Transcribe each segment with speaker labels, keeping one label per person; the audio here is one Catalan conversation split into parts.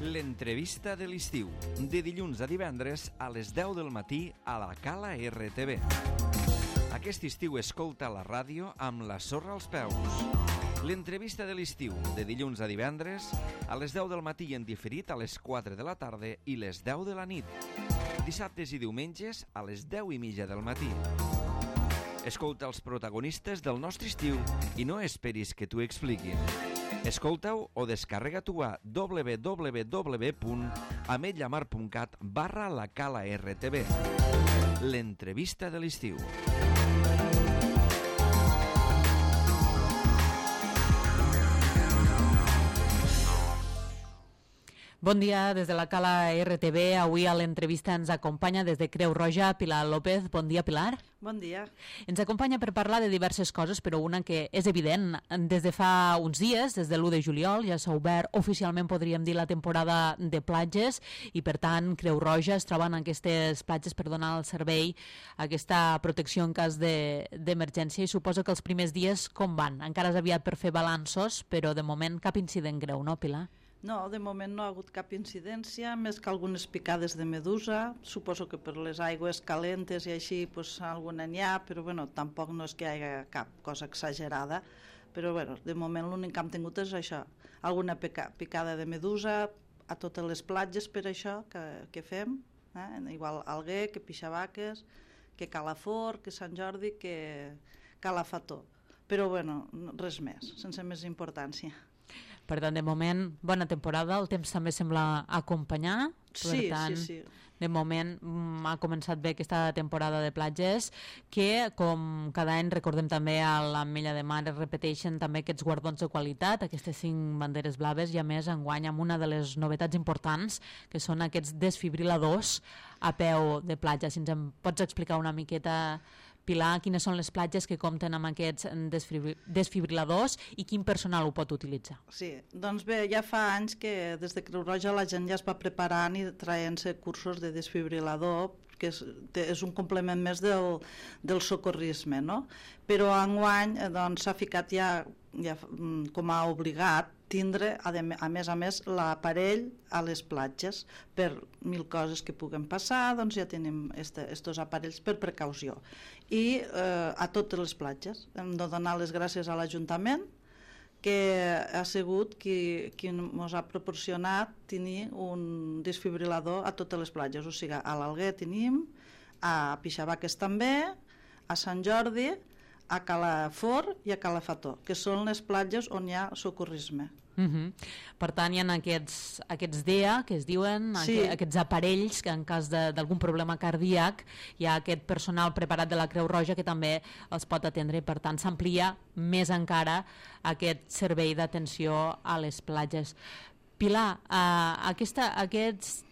Speaker 1: L'entrevista de l'estiu, de dilluns a divendres a les 10 del matí a la Cala RTV. Aquest estiu escolta la ràdio amb la sorra als peus. L'entrevista de l'estiu, de dilluns a divendres a les 10 del matí i en diferit a les 4 de la tarda i les 10 de la nit. Dissabtes i diumenges a les 10:30 del matí. Escolta els protagonistes del nostre estiu i no esperis que t'ho expliquin. Escolta-ho o descarrega-t'ho a www.ametlllamar.cat/la Cala RTV. L'entrevista de l'estiu.
Speaker 2: Bon dia des de la Cala RTV. Avui a l'entrevista ens acompanya des de Creu Roja Pilar López. Bon dia, Pilar.
Speaker 3: Bon dia.
Speaker 2: Ens acompanya per parlar de diverses coses, però una que és evident. Des de fa uns dies, des de l'1 de juliol, ja s'ha obert oficialment, podríem dir, la temporada de platges i, per tant, Creu Roja es troba en aquestes platges per donar el servei, aquesta protecció en cas d'emergència, i suposo que els primers dies com van? Encara és aviat per fer balanços, però de moment cap incident greu, no, Pilar?
Speaker 3: No, de moment no ha hagut cap incidència, més que algunes picades de medusa. Suposo que per les aigües calentes i així pues, alguna n'hi ha, però bueno, tampoc no és que hi hagi cap cosa exagerada. Però bueno, de moment l'únic que hem tingut és això, alguna picada de medusa a totes les platges per això que fem, igual Alguer, que Pixavaques, que Calafort, que Sant Jordi, que Calafató. Però bueno, res més, sense més importància.
Speaker 2: Per tant, de moment, bona temporada, el temps també sembla acompanyar.
Speaker 3: Sí,
Speaker 2: per tant,
Speaker 3: sí.
Speaker 2: De moment ha començat bé aquesta temporada de platges, que com cada any recordem també a l'Ametlla de Mar es repeteixen també aquests guardons de qualitat, aquestes 5 banderes blaves, i a més enguany amb una de les novetats importants, que són aquests desfibriladors a peu de platja. Si ens en pots explicar una miqueta, Pilar, quines són les platges que compten amb aquests desfibriladors i quin personal ho pot utilitzar?
Speaker 3: Sí, doncs bé, ja fa anys que des de Creu Roja la gent ja es va preparant i traient-se cursos de desfibrilador, que és un complement més del socorrisme, no? Però enguany doncs, s'ha ficat ja com a obligat tindre, a més, l'aparell a les platges per 1000 coses que puguen passar, doncs ja tenim estos aparells per precaució. I a totes les platges hem de donar les gràcies a l'Ajuntament, que ha sigut qui ens ha proporcionat tenir un desfibrilador a totes les platges, o sigui, a l'Alguer tenim, a Pixavaques també, a Sant Jordi, a Calafort i a Calafató, que són les platges on hi ha socorrisme.
Speaker 2: Per tant, hi ha aquests DEA, que es diuen,
Speaker 3: sí,
Speaker 2: aquests aparells que en cas d'algun problema cardíac hi ha aquest personal preparat de la Creu Roja que també els pot atendre, i per tant s'amplia més encara aquest servei d'atenció a les platges. Pilar, aquest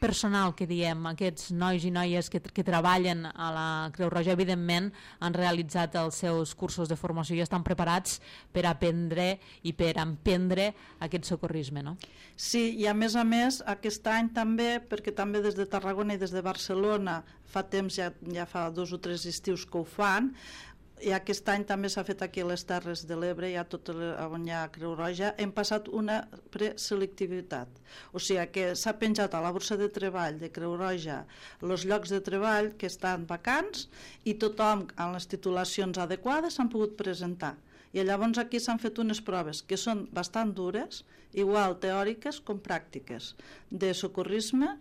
Speaker 2: personal que diem, aquests nois i noies que treballen a la Creu Roja, evidentment han realitzat els seus cursos de formació i estan preparats per aprendre i per emprendre aquest socorrisme, no?
Speaker 3: Sí, i a més, aquest any també, perquè també des de Tarragona i des de Barcelona fa temps, ja fa 2 o 3 estius que ho fan, i aquest any també s'ha fet aquí a les Terres de l'Ebre, ja tot on hi ha Creu Roja, hem passat una preselectivitat, o sigui que s'ha penjat a la borsa de treball de Creu Roja els llocs de treball que estan vacants i tothom amb les titulacions adequades s'han pogut presentar. I llavors aquí s'han fet unes proves que són bastant dures, igual teòriques com pràctiques, de socorrisme,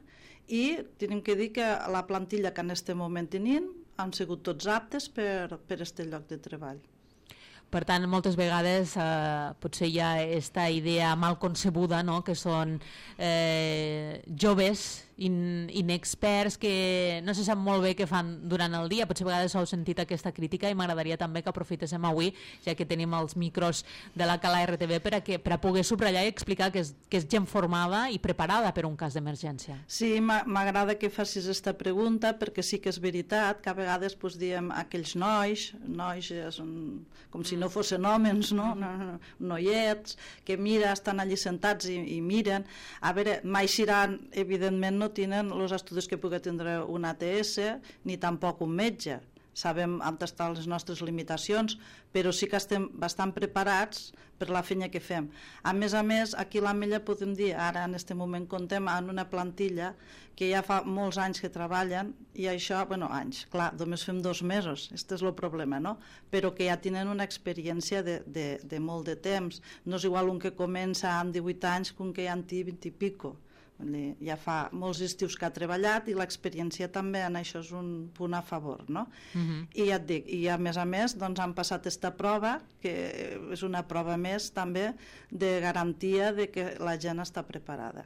Speaker 3: i tenim que dir que la plantilla que en aquest moment tenim han sigut tots aptes per este lloc de treball.
Speaker 2: Per tant, moltes vegades potser hi ha aquesta idea mal concebuda, no?, que són joves inexperts que no se sap molt bé què fan durant el dia. Potser a vegades heu sentit aquesta crítica i m'agradaria també que aprofitéssim avui, ja que tenim els micros de la Cala RTV, per a poder subratllar i explicar que és gent formada i preparada per un cas d'emergència.
Speaker 3: Sí, m'agrada que facis aquesta pregunta, perquè sí que és veritat que a vegades diem aquells nois com si no fossin homes, no? Noiets, que estan allí sentats i miren. A veure, mai evidentment no tenen els estudis que pugui tindre un ATS ni tampoc un metge, sabem on estan les nostres limitacions, però sí que estem bastant preparats per la feina que fem. A més, aquí a l'Ametlla podem dir, ara en aquest moment comptem en una plantilla que ja fa molts anys que treballen, i això, anys, clar, només fem 2 mesos, aquest és el problema, no? Però que ja tenen una experiència de molt de temps. No és igual un que comença amb 18 anys que un que ja en té 20 i pico. Ja fa molts estius que ha treballat i l'experiència també en això és un punt a favor, no? I ja et dic, i a més doncs han passat aquesta prova, que és una prova més també de garantia de que la gent està preparada.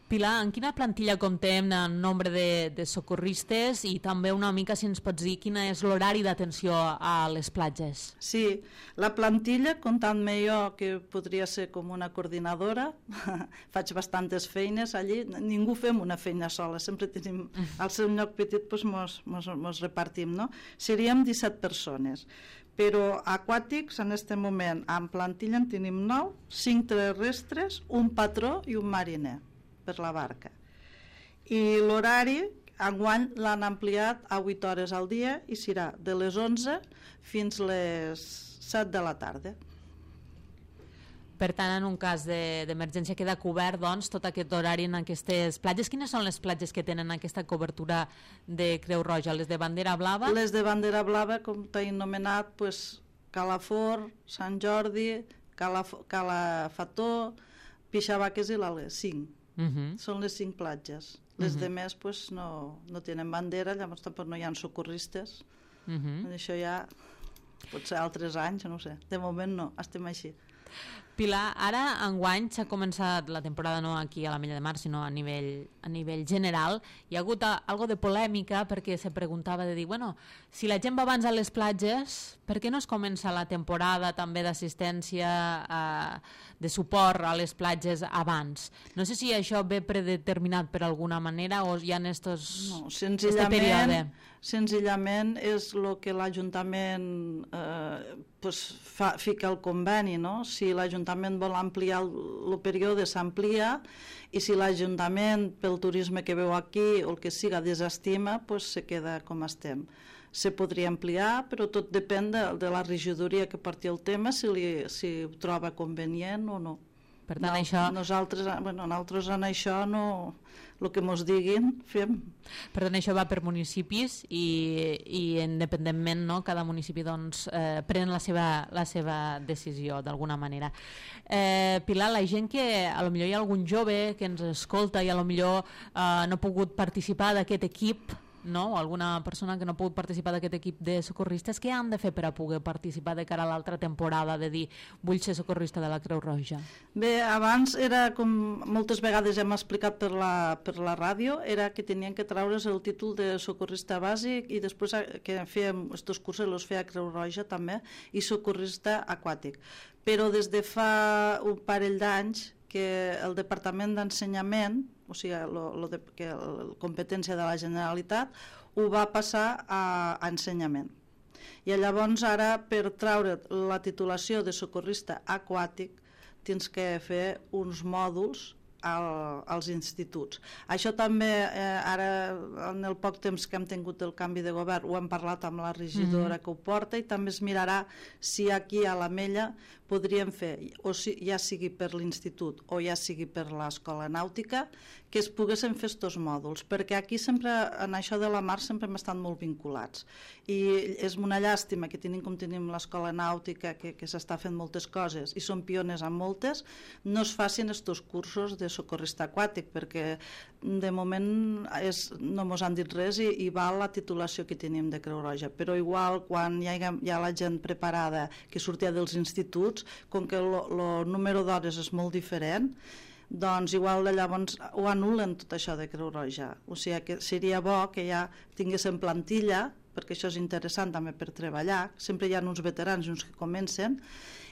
Speaker 2: Pilar, en quina plantilla comptem en nombre de socorristes i també una mica si ens pots dir quin és l'horari d'atenció a les platges?
Speaker 3: Sí, la plantilla, comptant-me jo que podria ser com una coordinadora, faig bastantes feines allí, ningú fem una feina sola, sempre tenim al seu lloc petit, doncs mos repartim, no? Seríem 17 persones. Però aquàtics en aquest moment en plantilla en tenim 9, 5 terrestres, un patró i un mariner per la barca. I l'horari enguany l'han ampliat a 8 hores al dia i serà de les 11 fins les 7 de la tarda.
Speaker 2: Per tant, en un cas d'emergència queda cobert doncs, tot aquest horari en aquestes platges. Quines són les platges que tenen aquesta cobertura de Creu Roja? Les de bandera blava?
Speaker 3: Les de bandera blava, com t'he anomenat, Calafort, Sant Jordi, Calafató, Pixavaques i l'Ales, 5. Són les 5 platges. Les demés no tenen bandera, llavors tampoc no hi ha socorristes. Això ja pot ser altres anys, no sé. De moment no, estem així.
Speaker 2: Pilar, ara enguany s'ha començat la temporada no aquí a l'Ametlla de Mar, sinó a nivell general. Hi ha hagut algo de polèmica perquè se preguntava de dir, si la gent va abans a les platges, per què no es comença la temporada també d'assistència, de suport a les platges abans? No sé si això ve predeterminat per alguna manera o hi ha estos...
Speaker 3: No, senzillament és el que l'Ajuntament fica al conveni, no? Si l'Ajuntament vol ampliar el període, s'amplia, i si l'Ajuntament, pel turisme que veu aquí o el que siga, desestima, se queda com estem. Se podria ampliar, però tot depèn de la regidoria que porti el tema, si ho troba convenient o no.
Speaker 2: Per tant,
Speaker 3: nosaltres en això no, el que mos diguin fem.
Speaker 2: Per tant, això va per municipis i independentment, no, cada municipi pren la seva decisió d'alguna manera. Pilar, la gent que a lo millor hi ha algun jove que ens escolta i a lo millor no ha pogut participar d'aquest equip, no? O alguna persona que no ha pogut participar d'aquest equip de socorristes, què han de fer per a poder participar de cara a l'altra temporada, de dir vull ser socorrista de la Creu Roja?
Speaker 3: Bé, abans era com moltes vegades hem explicat per la ràdio, era que tenien que treure's el títol de socorrista bàsic i després que fèiem aquests cursos els feia Creu Roja també, i socorrista aquàtic. Però des de fa un parell d'anys que el Departament d'Ensenyament, o sigui, la competència de la Generalitat, ho va passar a ensenyament. I llavors ara, per treure la titulació de socorrista aquàtic, tens que fer uns mòduls als instituts. Això també, ara en el poc temps que hem tingut el canvi de govern, ho hem parlat amb la regidora que ho porta, i també es mirarà si aquí a l'Ametlla podríem fer, o ja sigui per l'institut o ja sigui per l'escola nàutica, que es poguessin fer aquests mòduls, perquè aquí sempre, en això de la mar, sempre hem estat molt vinculats. I és una llàstima que tenim com tenim l'escola nàutica, que s'està fent moltes coses, i són pioners en moltes, no es facin aquests cursos de socorrista aquàtic, perquè de moment no mos han dit res i val la titulació que tenim de Creu Roja. Però igual, quan hi ha la gent preparada que sortia dels instituts, com que el número d'hores és molt diferent, doncs igual llavors ho anulen tot això de Creu Roja. O sigui que seria bo que ja tinguéssim plantilla, perquè això és interessant també per treballar, sempre hi ha uns veterans i uns que comencen,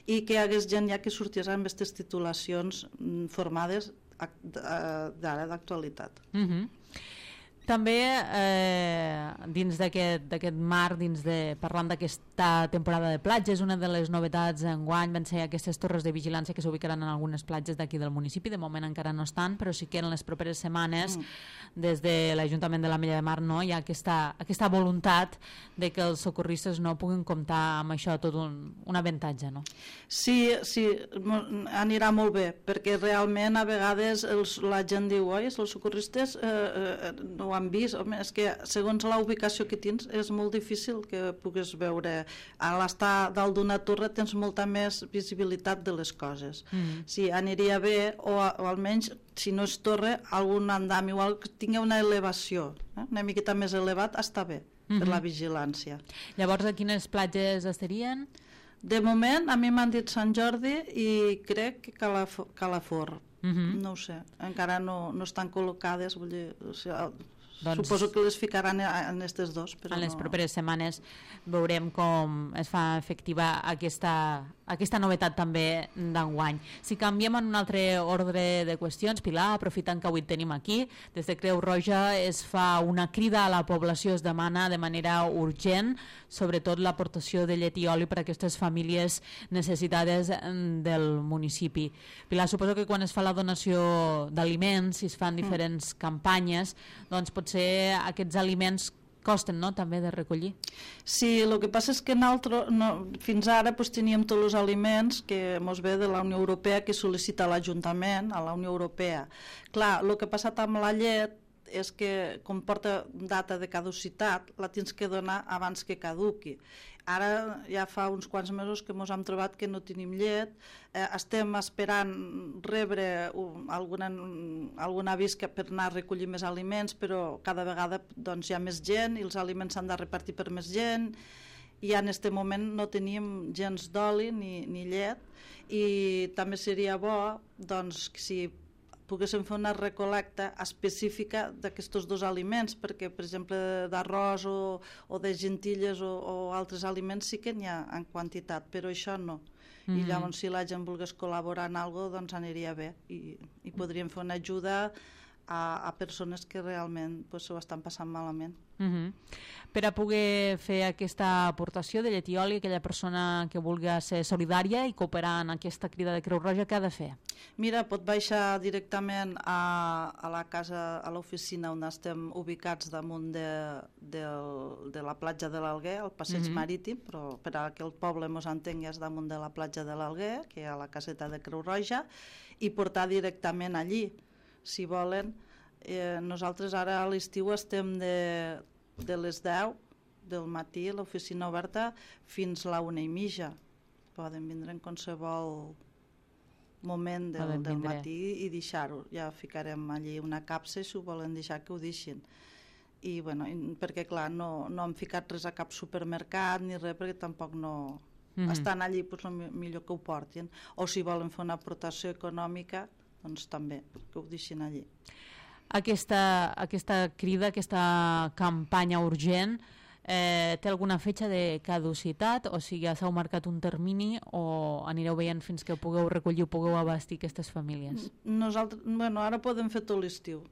Speaker 3: i que hi hagués gent ja que sortís amb aquestes titulacions formades d'ara, d'actualitat.
Speaker 2: També dins d'aquest mar, parlant d'aquesta temporada de platges, una de les novetats enguany van ser aquestes torres de vigilància que s'ubicaran en algunes platges d'aquí del municipi. De moment encara no estan, però sí que en les properes setmanes des de l'Ajuntament de l'Ametlla de Mar hi ha aquesta voluntat de que els socorristes no puguin comptar amb això tot un avantatge, no?
Speaker 3: Sí, anirà molt bé, perquè realment a vegades la gent diu, oi, els socorristes no ho han vist. Home, és que segons la ubicació que tens és molt difícil que puguis veure. A l'estar dalt d'una torre tens molta més visibilitat de les coses. Sí, aniria bé, o almenys si no és torre, algun andam igual que tingui una elevació, una miqueta més elevat, està bé per la vigilància.
Speaker 2: Llavors, a quines platges estarien?
Speaker 3: De moment, a mi m'han dit Sant Jordi i crec que Calafort. No ho sé, encara no estan col·locades, vull dir, suposo que les ficaran en aquestes dos. Però
Speaker 2: en les properes setmanes veurem com es fa efectiva aquesta novetat també d'enguany. Si canviem en un altre ordre de qüestions, Pilar, aprofitant que avui et tenim aquí, des de Creu Roja es fa una crida a la població, es demana de manera urgent, sobretot l'aportació de llet i oli per a aquestes famílies necessitades del municipi. Pilar, suposo que quan es fa la donació d'aliments, si es fan diferents campanyes, doncs potser aquests aliments costen, no?, també de recollir.
Speaker 3: Sí, el que passa és que fins ara teníem tots els aliments que mos ve de la Unió Europea, que sol·licita l'Ajuntament a la Unió Europea. Clar, el que ha passat amb la llet és que, com porta data de caducitat, la tens que donar abans que caduqui. Ara ja fa uns quants mesos que ens hem trobat que no tenim llet, estem esperant rebre algun avís per anar a recollir més aliments, però cada vegada doncs, hi ha més gent i els aliments s'han de repartir per més gent, i en aquest moment no tenim gens d'oli ni llet, i també seria bo doncs, que si poguéssim fer una recolecta específica d'aquests dos aliments, perquè, per exemple, d'arròs o de gentilles o altres aliments sí que n'hi ha en quantitat, però això no. I llavors, si la gent volgués col·laborar en alguna cosa, doncs aniria bé. I podríem fer una ajuda a persones que realment s'ho estan passant malament.
Speaker 2: Per a poder fer aquesta aportació de llet i oli, aquella persona que vulgui ser solidària i cooperar en aquesta crida de Creu Roja, què ha de fer?
Speaker 3: Mira, pot baixar directament a la casa, a l'oficina on estem ubicats damunt de la platja de l'Alguer, al passeig marítim, però per a que el poble mos entengui és damunt de la platja de l'Alguer, que hi ha la caseta de Creu Roja, i portar directament allí, si volen. Nosaltres ara a l'estiu estem de les 10 del matí a l'oficina oberta fins a la 1:30. Poden vindre en qualsevol moment del matí i deixar-ho. Ja ficarem allí una capsa, si ho volen deixar que ho deixin. I bueno, perquè clar, no hem ficat res a cap supermercat ni res, perquè tampoc no estan allí, millor que ho portin. O si volen fer una aportació econòmica, doncs també, que ho deixin allí.
Speaker 2: Aquesta crida, aquesta campanya urgent, té alguna fetge de caducitat? O sigui, ja s'heu marcat un termini o anireu veient fins que pugueu recollir o pugueu abastir aquestes famílies?
Speaker 3: Nosaltres, ara podem fer tot l'estiu.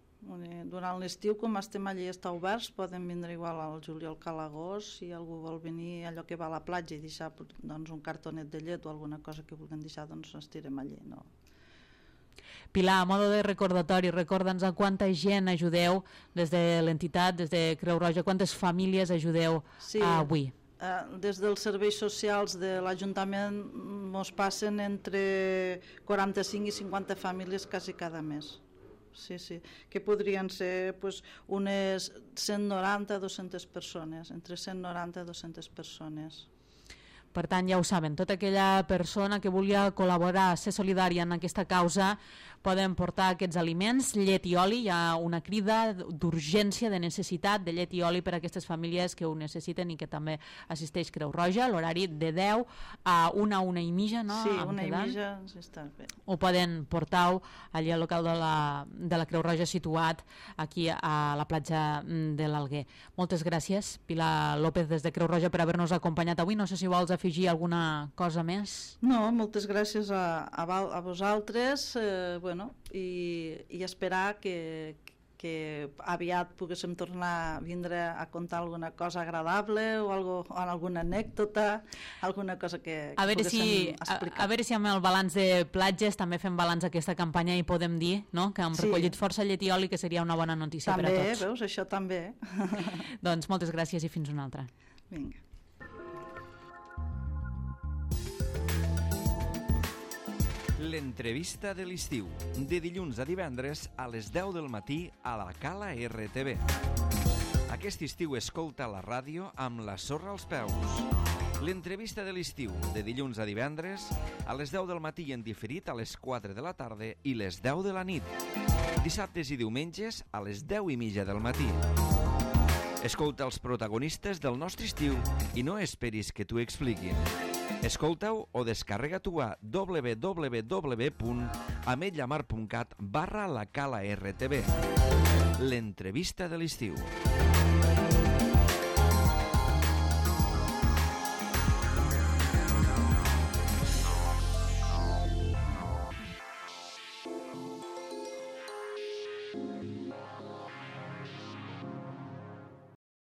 Speaker 3: Durant l'estiu, com estem allí i està oberts, poden vindre igual al juliol que a l'agost. Si algú vol venir allò que va a la platja i deixar un cartonet de llet o alguna cosa que vulguin deixar, doncs estirem allí, no?
Speaker 2: Pilar, a modo de recordatori, recorda'ns a quanta gent ajudeu des de l'entitat, des de Creu Roja, quantes famílies ajudeu avui?
Speaker 3: Des dels serveis socials de l'Ajuntament ens passen entre 45 i 50 famílies quasi cada mes. Sí, que podrien ser unes 190 a 200 persones, entre 190 i 200 persones.
Speaker 2: Per tant, ja ho saben, tota aquella persona que vulgui col·laborar, ser solidària en aquesta causa, poden portar aquests aliments, llet i oli. Hi ha una crida d'urgència, de necessitat de llet i oli per a aquestes famílies que ho necessiten i que també assisteix Creu Roja, l'horari de 10 a 1:30, no?
Speaker 3: Sí, 1:30, sí, està bé.
Speaker 2: Ho poden portar allà al local de la Creu Roja situat aquí a la platja de l'Alguer. Moltes gràcies, Pilar López, des de Creu Roja, per haver-nos acompanyat avui. No sé si vols afegir alguna cosa més.
Speaker 3: No, moltes gràcies a vosaltres, i esperar que que aviat poguéssim tornar a vindre a contar alguna cosa agradable o alguna anècdota, alguna cosa que poguéssim explicar.
Speaker 2: A veure si amb el balanç de platges també fem balanç d'aquesta campanya i podem dir, no?, que hem recollit força llet i oli, que seria una bona notícia
Speaker 3: també,
Speaker 2: per a tots.
Speaker 3: També, veus, això també.
Speaker 2: Doncs moltes gràcies i fins una altra.
Speaker 3: Vinga.
Speaker 1: L'entrevista de l'estiu, de dilluns a divendres a les 10 del matí a la Cala RTV. Aquest estiu escolta la ràdio amb la sorra als peus. L'entrevista de l'estiu, de dilluns a divendres a les 10 del matí i en diferit a les 4 de la tarda i les 10 de la nit. Dissabtes i diumenges a les 10:30 del matí. Escolta els protagonistes del nostre estiu i no esperis que t'ho expliquin. Escolta-ho o descarrega-t'ho a www.ametlllamar.cat/la Cala RTV. L'entrevista de l'estiu.